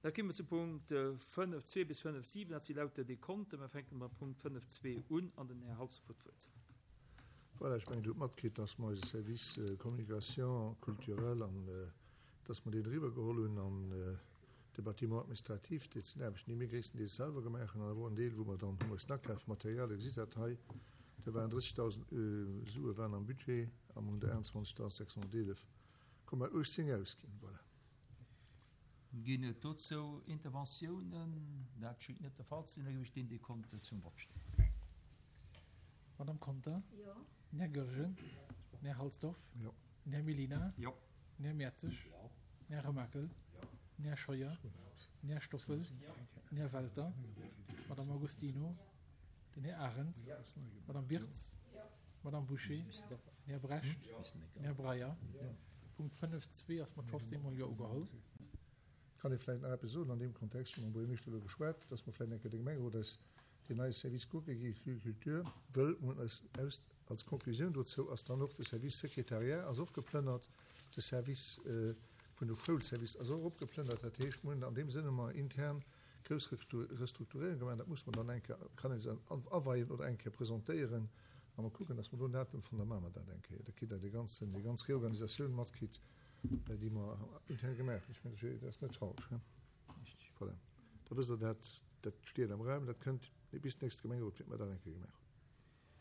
Da komme mer zu Punkt 5.2 bis 5.7, dat si lauter Dekonten. Mer fänke mam Punkt 5.2 un an den Här Halsdorf huet d'Wuert. Voilà, ech mengen, Dir hutt matkritt, dass mer eise Service Communication culturelle an dass mer deen eriwwergeholl hunn an de Bâtiment administratif. Dat sinn Aarbechten, déi mir gréisstendeels selwer gemaach hunn an awer och en Deel, wou mer dann hu mussen akafen. Material, Dir gesitt dat hei, do waren 30.000 Sue waren am Budget a mer hunn der 21.611,18 ausginn. Voilà. Ginn et dozou Interventiounen? Dat schéngt net de Fall ze sinn. Da ginn ech deen Dekont zum Vott stellen. Madame Conter? Jo. Den Här Goergen? Den Här Halsdorf? Jo. Den Här Mellina? Jo. Den Här Mertzig? Jo. Den Här Remakel? Jo. Den Här Scheuer? Den Här Stoffel? Jo. Den Här Welter? D'Madame Agostino? Den Här Arendt? D'Madame Wirtz? D'Madame Bouché? Den Här Brecht? Den Här Breyer? Punkt 5.2 ass mat 15 mol Jo ugeholl. Kann ee vläicht nach eppes soen an deem Kontext? Ech hu mam Buergermeeschter elo geschwat, dass mer vläicht eng Kéier de Gemengerot eis deen neie Service kucke gi, Culture, wëll mer hunn eis aus, als Konklusioun dozou ass dann och de Service Secrétariat ass och geplënnert, de Service vun de Schoulservice ass och eropgeplënnert. Dat heescht, mer hunn an deem Sënn hu mer intern grouss Restrukturéierung gemaach. Dat muss mer dann eng Kéier, kann ee se aweien oder eng Kéier presentéieren a mer kucken, dass mer do en Datum fannen, da maache mer dat eng Kéier. Da kritt Der dee ganzen, déi ganz Reorganisatioun matkritt, déi mer intern gemaach hunn. Ech mengen, dat ass net falsch, he? Voilà, da wësst Der dat. Dat steet am Raum, dat kënnt bis nächste Gemengerot, wäerte mer dat eng Kéier gemaach hunn.